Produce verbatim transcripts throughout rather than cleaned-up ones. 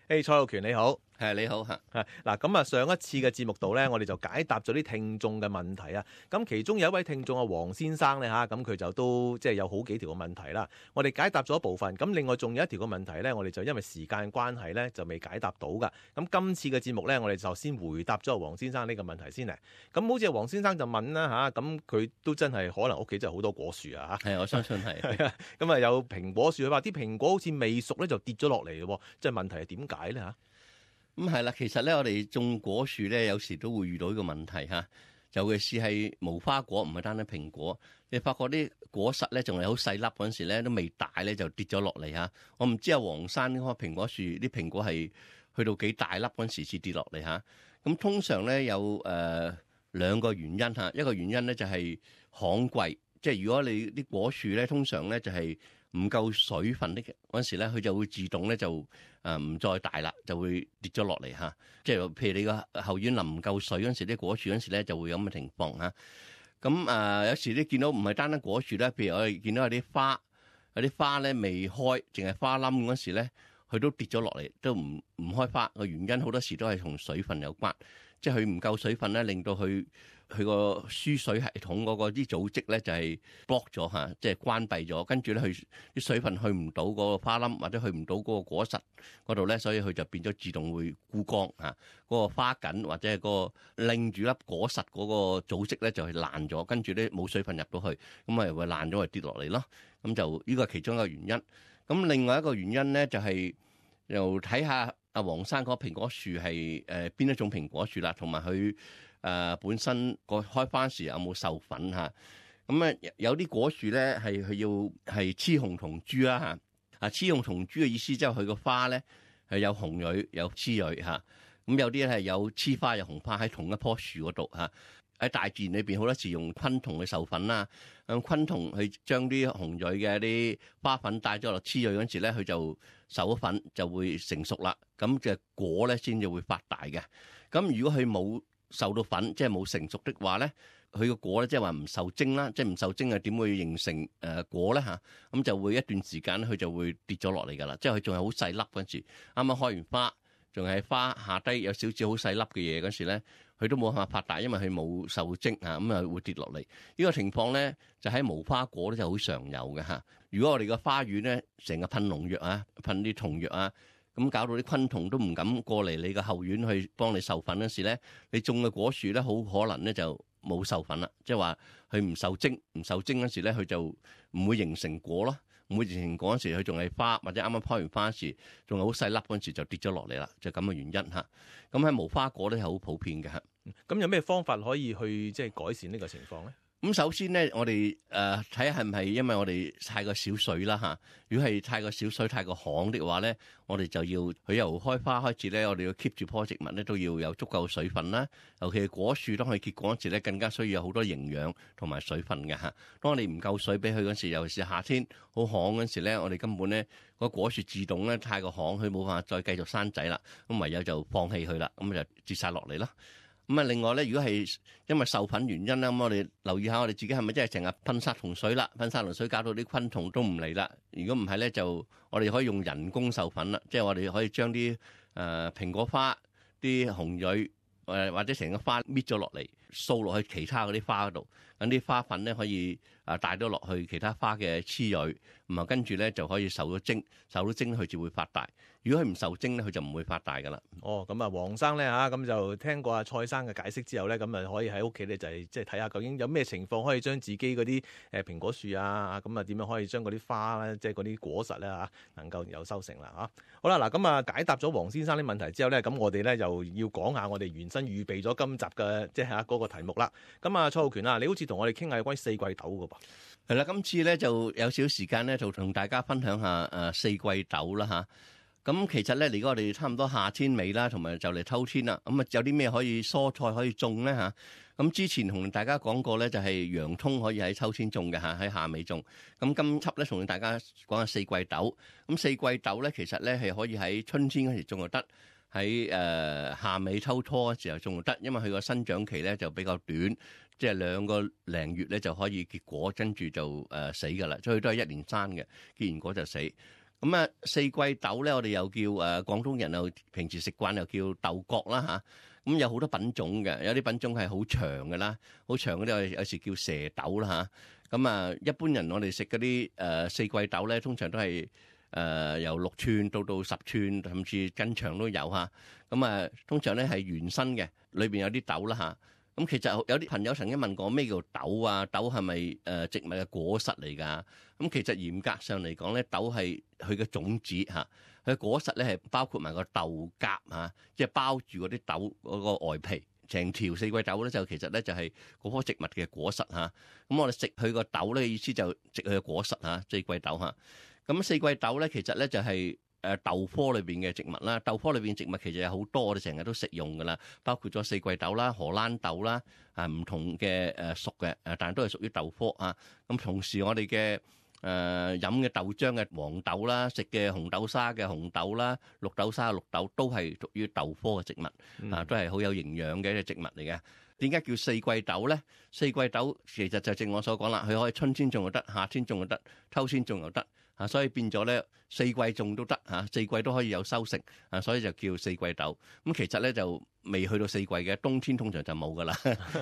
誒，蔡浩權你好。係你好嚇，係嗱，咁啊上一次嘅節目度咧，我哋就解答咗啲聽眾嘅問題啊。咁其中有一位聽眾啊，黃先生咧嚇，咁佢就都即係有好幾條嘅問題啦。我哋解答咗一部分，咁另外仲有一條嘅問題咧，我哋就因為時間關係咧，就未解答到噶。咁今次嘅節目咧，我哋就先回答咗黃先生呢個問題先嚟。咁好似黃先生就問啦嚇，咁佢都真係可能屋企真係好多果樹啊嚇。係我相信係。咁啊有蘋果樹，佢話啲蘋果好似未熟咧就跌咗落嚟喎，即係問題係點解咧嚇？咁係啦，其實咧，我哋種果樹咧，有時都會遇到呢個問題嚇。尤其是係無花果，唔係單單蘋果。你發覺啲果實咧，仲係好細粒嗰陣時咧，都未大咧，就跌咗落嚟嚇。我唔知啊，黃山嗰棵蘋果樹啲蘋果係去到幾大粒嗰陣時先跌落嚟嚇。咁通常咧有誒、呃、兩個原因嚇，一個原因咧就係旱季，即係如果你啲果樹咧，通常咧就係唔夠水分的嗰陣時咧，佢就會自動咧就誒唔再大啦，就會跌咗落嚟嚇。即係譬如你個後院淋唔夠水嗰陣時，啲果樹嗰陣時咧就會有咁嘅情況嚇。咁誒、呃、有時你見到唔係單單果樹咧，譬如我哋見到有啲花，有啲花咧未開，淨係花冧嗰陣時咧，佢都跌咗落嚟，都唔唔開花。個原因好多時都係同水分有關，即係佢唔夠水分咧，令到佢佢個輸水系統嗰個啲組織咧就係 block 咗嚇，即係關閉咗，跟住咧佢啲水分去唔到嗰個花冧或者去唔到嗰個果實嗰度咧，所以佢就變咗自動會枯乾嚇，嗰個花梗或者係個拎住粒果實嗰個組織咧就係爛咗，跟住咧冇水分入到去，咁咪會爛咗，咪跌落嚟咯。咁就呢個係其中一個原因。咁另外一個原因咧就係又睇下阿黃生嗰蘋果樹係誒邊一種蘋果樹啦，同埋佢誒本身個開花時有冇授粉嚇。咁啊有啲果樹咧係佢要係雌雄同株啦嚇。啊雌雄同株嘅意思即係佢個花咧係有紅蕊有雌蕊嚇。咁有啲咧係有雌花有紅花喺同一棵樹嗰度嚇。喺大自然裏邊好多時用昆蟲去授粉啦，用昆蟲去將啲紅蕊嘅啲花粉帶咗落雌蕊嗰陣時咧，佢就授咗粉就會成熟啦。咁嘅果咧先至會發大嘅。咁如果佢冇受到粉，即係冇成熟的話咧，佢個果咧即係話唔受精啦，即係唔受精係點會形成誒果咧嚇？咁就會一段時間佢就會跌咗落嚟㗎啦。即係佢仲係好細粒嗰陣時，啱啱開完花，仲係花下低有少少好細粒嘅嘢嗰時咧，佢都冇辦法發大，因為佢冇受精啊，咁啊會跌落嚟。呢個情況咧就喺無花果咧就好常有嘅嚇。如果我哋個花園咧成日噴農藥啊，噴啲蟲藥啊，咁搞到啲昆蟲都唔敢過嚟你個後院去幫你授粉嗰時咧，你種嘅果樹咧好可能咧就冇授粉啦，即係話佢唔受精，唔受精嗰時咧佢就唔會形成果咯。唔會形成果嗰時，佢仲係花，或者啱啱開完花時，仲係好細粒嗰陣時就跌咗落嚟啦，就咁嘅原因嚇。咁喺無花果咧係好普遍嘅嚇。咁有咩方法可以去即係改善呢個情況咧？咁首先咧，我哋誒睇下係唔係因為我哋太過少水啦嚇。如果係太過少水、太過旱的話咧，我哋就要佢由開花開始咧，我哋要 keep 住棵植物咧都要有足夠水分啦。尤其係果樹當佢結果嗰時咧，更加需要有好多營養同埋水分嘅嚇。當我哋唔夠水俾佢嗰時，尤其是夏天好旱嗰時咧，我哋根本咧個果樹自動咧太過旱，佢冇辦法再繼續生仔啦。咁唯有就放棄佢啦，咁就跌晒落嚟啦。咁啊，另外咧，如果係因為授粉原因啦，咁我哋留意下我哋自己係咪真係成日噴殺蟲水啦？噴殺蟲水搞到啲昆蟲都唔嚟啦。如果唔係咧，就我哋可以用人工授粉啦，即係我哋可以將啲誒蘋果花啲紅蕊誒或者成個花搣咗落嚟，掃落去其他嗰啲花嗰度，咁啲花粉咧可以啊帶咗落去其他花嘅雌蕊，咁啊跟住咧就可以受咗精，受咗精佢就會發大。如果佢唔受精咧，佢就唔會發大噶啦。哦，咁啊，黃生咧嚇，咁就聽過阿蔡生嘅解釋之後咧，咁啊可以喺屋企咧就係即係睇下究竟有咩情況可以將自己嗰啲誒蘋果樹啊，咁啊點樣可以將嗰啲花咧，即係嗰啲果實咧嚇能夠有收成啦嚇。好啦，嗱咁啊解答咗黃先生啲問題之後咧，咁我哋咧又要講下我哋原身預備咗今集嘅即係嚇嗰個題目啦。咁啊，蔡浩權啊，你好似同我哋傾下有關四季豆嘅噃。係啦，今次咧就有少少時間咧，就同大家分享下誒四季豆啦嚇。咁其實咧，而家我哋差唔多夏天尾啦，同埋就嚟秋天啦。咁啊，有啲咩可以蔬菜可以種咧嚇？咁之前同大家講過咧，就係洋葱可以喺秋天種嘅嚇，喺夏尾種。咁今輯咧，同大家講下四季豆。咁四季豆咧，其實咧係可以喺春天嗰時種就得，喺誒夏尾秋初嘅時候種就得，因為佢個生長期咧就比較短，即係兩個零月咧就可以結果，跟住就誒死㗎啦。所以都係一年生嘅，結完果就死。咁啊，四季豆咧，我哋又叫誒、呃、廣東人又平時食慣又叫豆角啦嚇。咁、啊、有好多品種嘅，有啲品種係好長嘅啦，好長嗰啲有時叫蛇豆啦嚇。咁啊，一般人我哋食嗰啲誒四季豆咧，通常都係誒、呃、由六寸到到十寸，甚至更長都有嚇。咁啊，通常咧係原生嘅，裏邊有啲豆啦嚇。咁、啊、其實有啲朋友曾經問過咩叫豆啊？豆係咪誒植物嘅果實嚟㗎？咁其實嚴格上嚟講咧，豆係佢嘅種子嚇，佢嘅果實咧係包括埋個豆莢嚇，即係包住嗰啲豆嗰個外皮。成條四季豆咧就其實咧就係嗰棵植物嘅果實嚇。咁我哋食佢個豆咧，意思就食佢嘅果實嚇，四季豆嚇。咁四季豆咧其實咧就係誒豆科裏邊嘅植物啦。豆科裏邊嘅植物其實有好多，我哋成日都食用噶啦，包括咗四季豆啦、荷蘭豆啦，啊唔同嘅誒屬嘅誒，但係都係屬於豆科啊。咁同時我哋嘅誒飲嘅豆漿嘅黃豆啦，食嘅紅豆沙嘅紅豆啦，綠豆沙嘅綠豆都係屬於豆科嘅植物啊，都係好有營養嘅一隻植物嚟嘅。點解叫四季豆咧？四季豆其實就正我所講啦，佢可以春天種又得，夏天種又得，秋天種又得啊，所以變咗咧四季種都得嚇，四季都可以有收成啊，所以就叫四季豆。咁其實咧就未去到四季嘅，冬天通常就冇噶啦，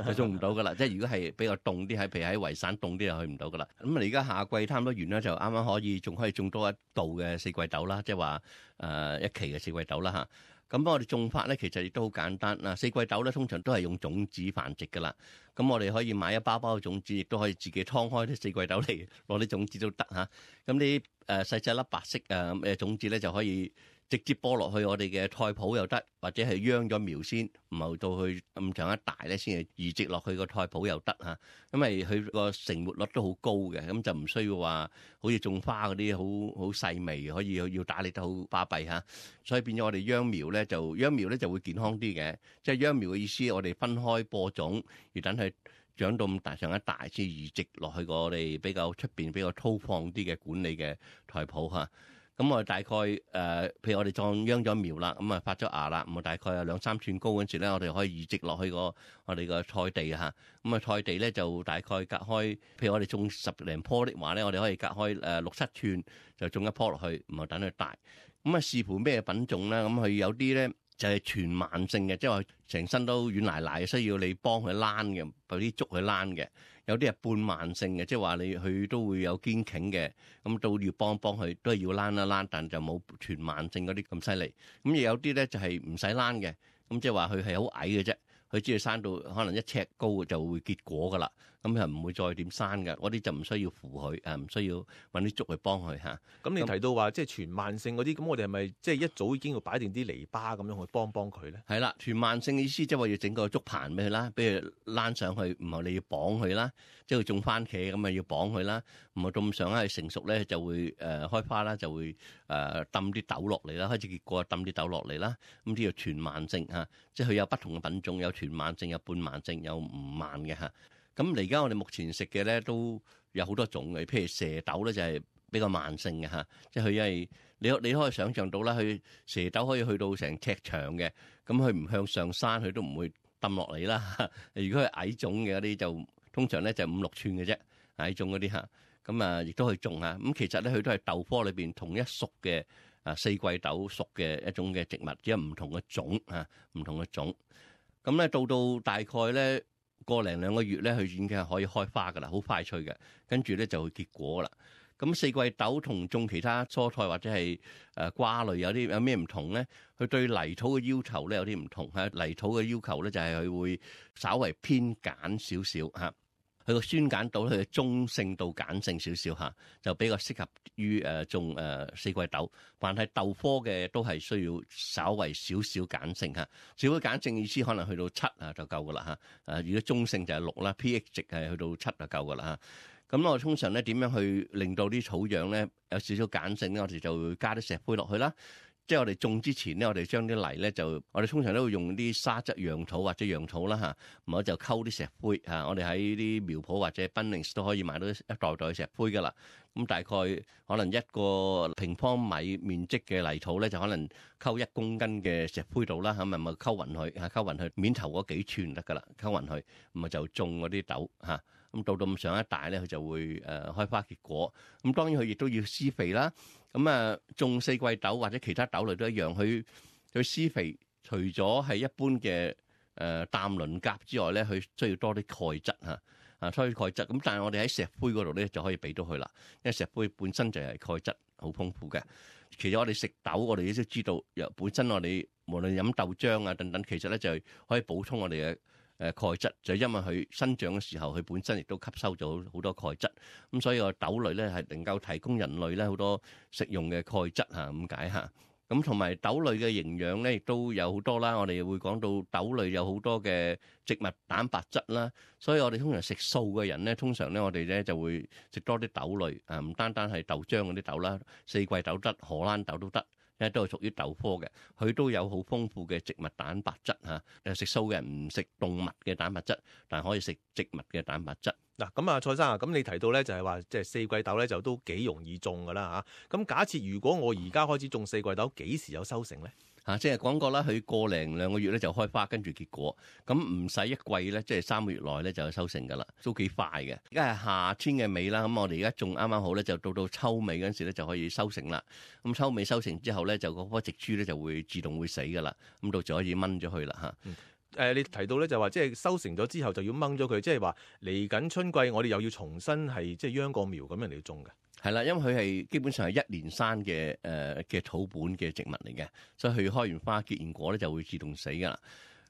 就種唔到噶啦。即係如果係比較凍啲，喺譬如喺維省凍啲，就去唔到噶啦。咁啊，而家夏季差唔多完啦，就啱啱可以仲可以種多一度嘅四季豆啦，即係話誒一期嘅四季豆啦嚇。咁我哋種法咧，其實亦都好簡單嗱。四季豆咧，通常都係用種子繁殖噶啦。咁我哋可以買一包包嘅種子，亦都可以自己劏開啲四季豆嚟攞啲種子都得嚇。咁啲誒細細粒白色誒嘅種子咧，就可以直接播落去我哋嘅菜圃又得，或者係秧咗苗先，唔係到去咁長一大咧，先係移植落去個菜圃又得嚇。因為佢個成活率都好高嘅，咁就唔需要話好似種花嗰啲好好細微，可以要打理得好巴閉嚇。所以變咗我哋秧苗咧，就秧苗咧就會健康啲嘅。即係秧苗嘅意思，我哋分開播種，而等佢長到咁大上一大先移植落去個我哋比較出邊比較粗放啲嘅管理嘅菜圃嚇。咁我哋大概誒、呃，譬如我哋裝秧咗苗啦，咁啊發咗芽啦，咁啊大概有兩三寸高嗰陣時咧，我哋可以移植落去個我哋個菜地嚇。咁啊菜地咧就大概隔開，譬如我哋種十零棵的話咧，我哋可以隔開誒六七寸就種一棵落去，唔係等佢大。咁啊視乎咩品種咧，咁佢有啲咧就係、是、全慢性嘅，即係話成身都軟賴賴，需要你幫佢躝嘅，有啲捉佢躝嘅。有啲係半慢性嘅，即係話你佢都會有堅挺嘅，咁都要幫幫佢，都係要躝一躝，但就冇全慢性嗰啲咁犀利。咁亦有啲咧就係唔使躝嘅，咁即係話佢係好矮嘅啫，佢只要生到可能一尺高就會結果噶啦，咁係唔會再點生嘅。嗰啲就唔需要扶佢，誒唔需要揾啲竹去幫佢嚇。咁你提到話即係全慢性嗰啲，咁我哋係咪即係一早已經要擺定啲籬笆咁樣去幫幫佢咧？係啦，全慢性嘅意思即係話要整個竹棚俾佢啦，俾佢躝上去，唔係你要綁佢啦，即係佢種番茄咁啊要綁佢啦，唔係咁上下成熟咧就會誒、呃、開花啦，就會誒抌啲豆落嚟啦，開始結果抌啲豆落嚟啦，咁呢個全慢性嚇，即係佢有不同嘅品種，有全慢性、有半慢性、有唔慢嘅嚇。咁而家我哋目前食嘅咧都有好多種嘅，譬如蛇豆咧就係比較慢性嘅嚇，即係佢因為你你可以想象到啦，佢蛇豆可以去到成尺長嘅，咁佢唔向上山佢都唔會抌落嚟啦。如果係矮種嘅嗰啲就通常咧就五六寸嘅啫，矮種嗰啲嚇，咁啊亦都可以種嚇。咁其實咧佢都係豆科裏邊同一屬嘅啊四季豆屬嘅一種嘅植物，只係唔同嘅種嚇，唔同嘅種。咁咧到到大概咧個零兩個月咧，佢已經係可以開花噶啦，好快脆嘅，跟住咧就會結果啦。咁四季豆同種其他蔬菜或者係誒瓜類有啲有咩唔同咧？佢對泥土嘅要求咧有啲唔同嚇。泥土嘅要求咧就係佢會稍為偏鹼少少嚇。佢個酸鹼度咧，佢嘅中性到鹼性少少嚇，就比較適合於誒種誒四季豆。凡係豆科嘅都係需要稍為少少鹼性嚇。少少鹼性意思可能去到七啊就夠噶啦嚇。誒如果中性就係六啦 ，pH 值係去到七就夠噶啦嚇。咁我通常咧點樣去令到啲草樣咧有少少鹼性咧？我哋就會加啲石灰落去啦。即係我哋種之前咧，我哋將啲泥咧就，我哋通常都會用啲沙質養土或者養土啦嚇，唔好就溝啲石灰嚇。我哋喺啲苗圃或者 Bunnings 都可以買到一袋袋石灰噶啦。咁大概可能一個平方米面積嘅泥土咧，就可能溝一公斤嘅石灰度啦，咁咪咪溝勻佢嚇，溝勻佢面頭嗰幾寸得噶啦，溝勻佢，咁咪就種嗰啲豆嚇。咁咁到到咁上一大咧，佢就會誒開花結果。咁當然佢亦都要施肥啦。咁啊，種四季豆或者其他豆類都一樣，佢佢施肥除咗係一般嘅誒氮磷鉀之外咧，佢需要多啲鈣質嚇。啊，所以鈣質咁，但係我哋喺石灰嗰度咧就可以俾到佢啦，因為石灰本身就係鈣質好豐富嘅。其實我哋食豆，我哋都知道，由本身我哋無論飲豆漿啊等等，其實咧就係可以補充我哋嘅誒鈣質，就係因為佢生長嘅時候，佢本身亦都吸收咗好多鈣質，咁所以個豆類咧係能夠提供人類咧好多食用嘅鈣質嚇，咁解嚇。咁同埋豆類嘅營養咧，亦都有好多啦。我哋會講到豆類有好多嘅植物蛋白質啦，所以我哋通常食素嘅人咧，通常咧我哋咧就會食多啲豆類啊，唔單單係豆漿嗰啲豆啦，四季豆得，荷蘭豆都得，因為都係屬於豆科嘅，佢都有好豐富嘅植物蛋白質嚇。誒食素嘅人唔食動物嘅蛋白質，但係可以食植物嘅蛋白質。嗱，咁啊，蔡生啊，咁你提到咧就係話，即係四季豆咧就都幾容易種噶啦嚇。咁假設如果我而家開始種四季豆，幾時有收成咧？嚇、啊，即係講過啦，佢過零兩個月咧就開花，跟住結果，咁唔使一季咧，即係三個月內咧就有收成噶啦，都幾快嘅。而家係夏天嘅尾啦，咁我哋而家種啱啱好咧，就到到秋尾嗰陣時咧就可以收成啦。咁秋尾收成之後咧，就嗰棵植株咧就會自動會死噶啦，咁到時可以掹咗佢啦嚇。嗯誒、呃，你提到咧就話，即係收成咗之後就要掹咗佢，即係話嚟緊春季我哋又要重新係即係秧個苗咁樣嚟種嘅。係啦，因為佢係基本上係一年生嘅誒嘅土本嘅植物嚟嘅，所以佢開完花結完果咧就會自動死噶啦。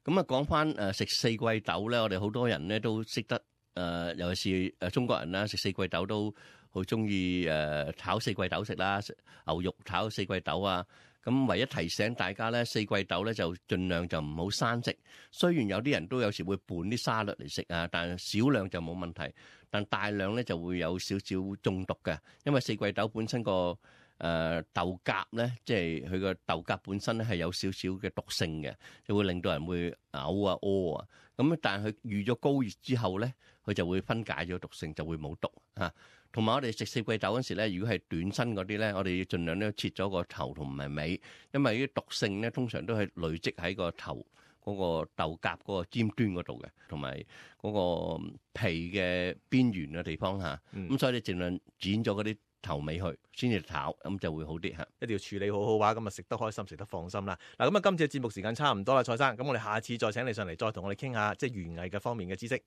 咁啊講翻誒食四季豆咧，我哋好多人咧都識得誒、呃，尤其是誒中國人啦，食四季豆都好中意誒炒四季豆食啦，牛肉炒四季豆啊。咁唯一提醒大家咧，四季豆咧就盡量就唔好生食。雖然有啲人都有時會拌啲沙律嚟食啊，但係少量就冇問題。但大量咧就會有少少中毒嘅，因為四季豆本身個誒、呃、豆莢咧，即係佢個豆莢本身咧係有少少嘅毒性嘅，就會令到人會嘔啊屙啊。咁但係佢遇咗高熱之後咧，佢就會分解咗毒性，就會冇毒嚇。同埋我哋食四季豆嗰時咧，如果係短身嗰啲咧，我哋要盡量咧切咗個頭同埋尾，因為啲毒性咧通常都係累積喺個頭嗰個豆莢嗰個尖端嗰度嘅，同埋嗰個皮嘅邊緣嘅地方嚇。咁、嗯、所以你盡量剪咗嗰啲頭尾去先至炒，咁就會好啲嚇。一定要處理好好話，咁啊食得開心，食得放心啦。嗱，咁啊今次嘅節目時間差唔多啦，蔡生，咁我哋下次再請你上嚟，再同我哋傾下即係園藝嘅方面嘅知識。